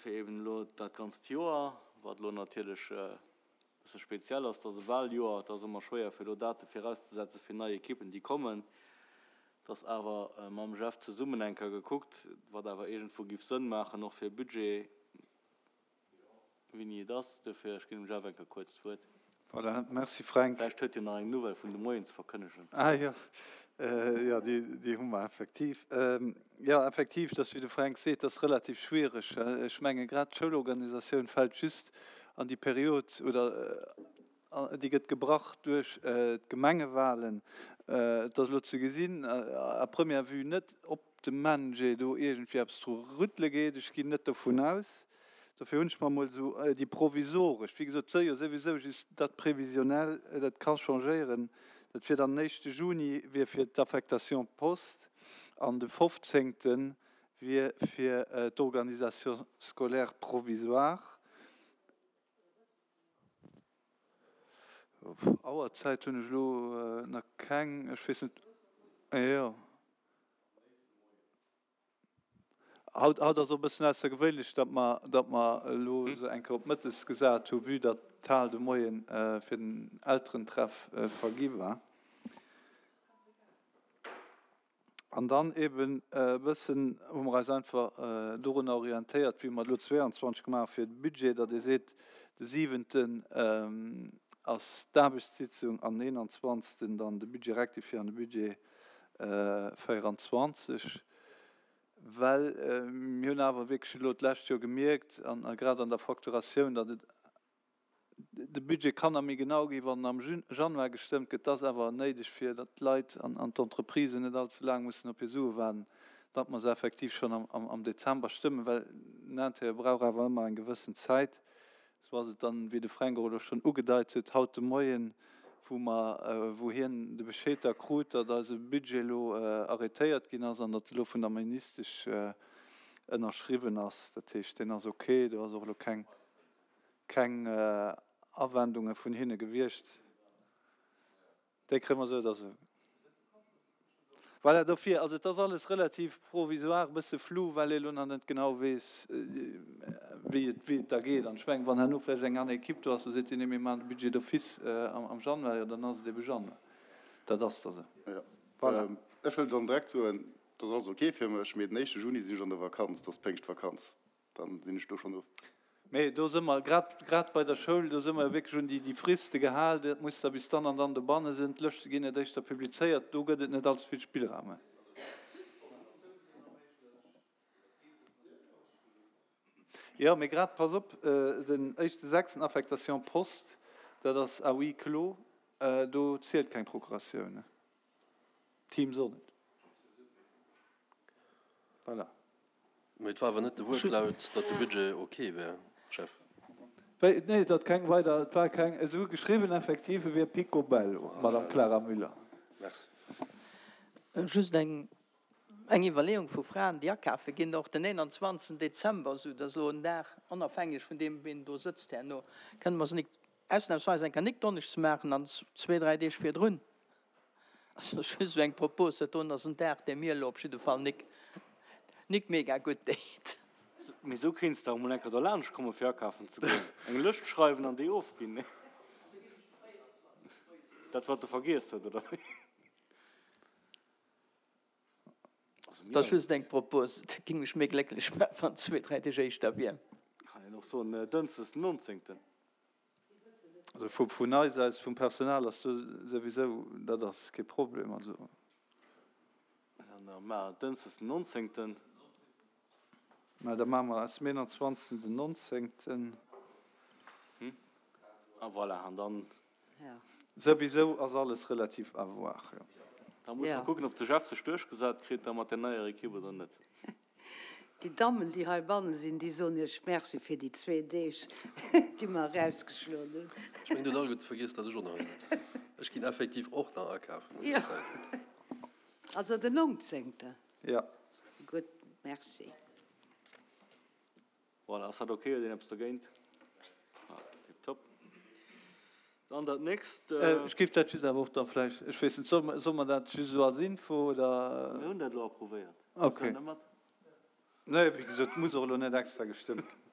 fir eben elo dat ganzt Joer, wat elo natierlech e bësse speziell ass, dass e Wahljoer, et ass ëmmer schwéier fir elo Date virauszesetze fir nei Ekippen déi kommen, dass awer mam Jeff zesummen eng Kéier gekuckt, wat awer iergendwou giff Sënn maachen och fir e Budget, Wéini et ass. Duerfir, ech ginn dem Jeff eng Kéier kuerz d'Wuert. Voilà, merci Fränk. Vläicht huet hien nach eng Nouvelle vun de Moien ze verkënnegen. Ah jo, jo, déi, déi hu mer effektiv. Jo, effektiv, dass, wéi de Fränk seet, dat ass relativ schwiereg. Ech menge grad d'Schoulorganisatioun fält just an déi Period oder déi gëtt gebrach duerch d'Gemengewahlen. Et ass elo ze gesinn, à première vue net, ob de MENJE do iergendwéi eppes dru rüttele geet. Ech ginn net dovun aus. Dofir hunn ech mer emol esou déi provisoresch, wéi gesot, et si jo souwisou just Date prévisionnelle, dat ka changéieren, dat wier dann den éischte Juni wier fir d'Affectation poste an de fofzéngte wier fir d'Organisation scolaire provisoire. Auerzäit hunn ech elo nach keng, ech weess net, jo. Haut ass och e bëssen aussergewéinlech, datt mer, datt mer elo se eng Kéier op mëttes gesat hu, vue datt d'Hal de Moien fir den Elterentreff vergi war. An dann eeben e bëssen hu mer eis einfach dorunner orientéiert, wéi mer et elo 22 gemaach hu fir de Budget, datt ee seet, de siwenten ass d'Aarbechtssitzung an den 21. dann de Budget rectifié an de Budget 24, well mir hunn awer wierklech elo d'lescht Joer gemierkt, a grad an der Facturatioun, datt et, de Budget kann nach méi genau ginn, wann en am Januar gestëmmt gëtt. Dat ass awer néideg, fir datt d'Leit an d'Entreprisen net allze laang mussen op hir Sue waarden, datt mer se effektiv schonn am Dezember stëmmen, well den Intérieur brauch awer ëmmer eng gewëssen Zäit. Sou ass et dann, wéi de Fränk och elo schonn ugedeit huet, haut de Moien, wou mer, wou hien de Bescheed da krut, datt eise Budget elo arrêtéiert ginn ass an datt e lo vun der Ministesch ënnerschriwwen ass. Dat heescht, deen ass ok, do ass och elo keng, keng Awendunge vun hinne gewiescht. Déi kréie mer esou oder esou. Voilà, dofir, also et ass alles relativ provisoire, e bësse flou, well ee lo nach net genau weess, wéi et, wéi et da geet. An ech mengen, wann herno vläicht eng aner Equipe do ass, da seet déi, nee, mir maachen de Budget d'office am Januar, jo, dann ass et ebe Januar. Dat ass da sou. Jo. Voilà. Ech wëll dann direkt soen, dat ass alles ok fir mech, mee den éischte Juni sinn ech an der Vakanz, dat ass Péngschtvakanz. Dann sinn ech do schonn of. Mee do si mer, grad, grad bei der Schoul, do si mer jo wierklech un déi, déi Friste gehal, dat muss da bis dann an dann dobanne sinn. D'Lëschte ginn net éischter publizéiert, do gëtt et net allze vill Spillraum. Jo, mee grad, pass op, den éischte sechsten, Affectation poste, dat ass à huis clos, do zielt keng Procuratioun. Teams och net. Voilà. Mee et war awer net de Wuertlaut, datt de Budget ok wär, Jeff. Wéi? Nee, et hat keng weider, et war keng, esou geschriwwen, effektiv, e wier picobello, Madame Clara Müller. Merci. Just eng eng Iwwerleeung vu Fraen, déi akafe ginn, och den 21. Dezember, esou datt elo en Dag, onafhängeg vun deem, wien do sëtzt herno, kënne mer se nik ausnahmsweis eng Kéier nik donneschdes maachen an zwee, dräi Deeg virdrun. Also ech hu sou eng Propos, dat doen ass en Dag, dee mir elo op jidde Fall nik, nik mega gutt deet. Mee sou kéints de awer mol enker derlaanscht kommen fir akafen ze goen. Eng Lëscht schreiwen an déi ofginn, nee? Dat wat de vergiess huet, oder wéi? Also mir. Dat ass just eng Propos, dat géing mech méi glécklech maachen, wann et zwee, dräi Deeg éischter wier. Kann een och soen Dënschdes den 19. Also vu vun eis aus, vum Personal ass do souwisou, dat ass kee Problem. Also. Dann maache mer Dënschdes den 19. Mä da maache mer aus dem 21. den 19. A voilà, an dann. Souwisou ass alles relativ à voir, jo. Da musse mer kucken, ob de Jeff sech duerchgesat kritt da mat där neier Ekipp oder net. Déi Dammen, déi heibanne sinn, déi soen Iech Merci fir déi zwee Deeg, déi mer erausgeschloen hunn. Ech mengen, Dir hutt alleguerte vergiess, datt ech och nach hei sëtzen. Ech ginn effektiv och nach akafen an där Zäit. Also den 19. Jo. Gutt, Merci. Voilà, ass dat ok? Huet een eppes dogéint? Ah, tiptop. Dann dat nächst. Ech géif dat just awer och da vläicht, ech weess net, solle solle mer dat just esou als Info oder? Mir hunn dat elo approuvéiert. Ok. Nee, wéi gesot, muss och elo net extra gestëmmt ginn.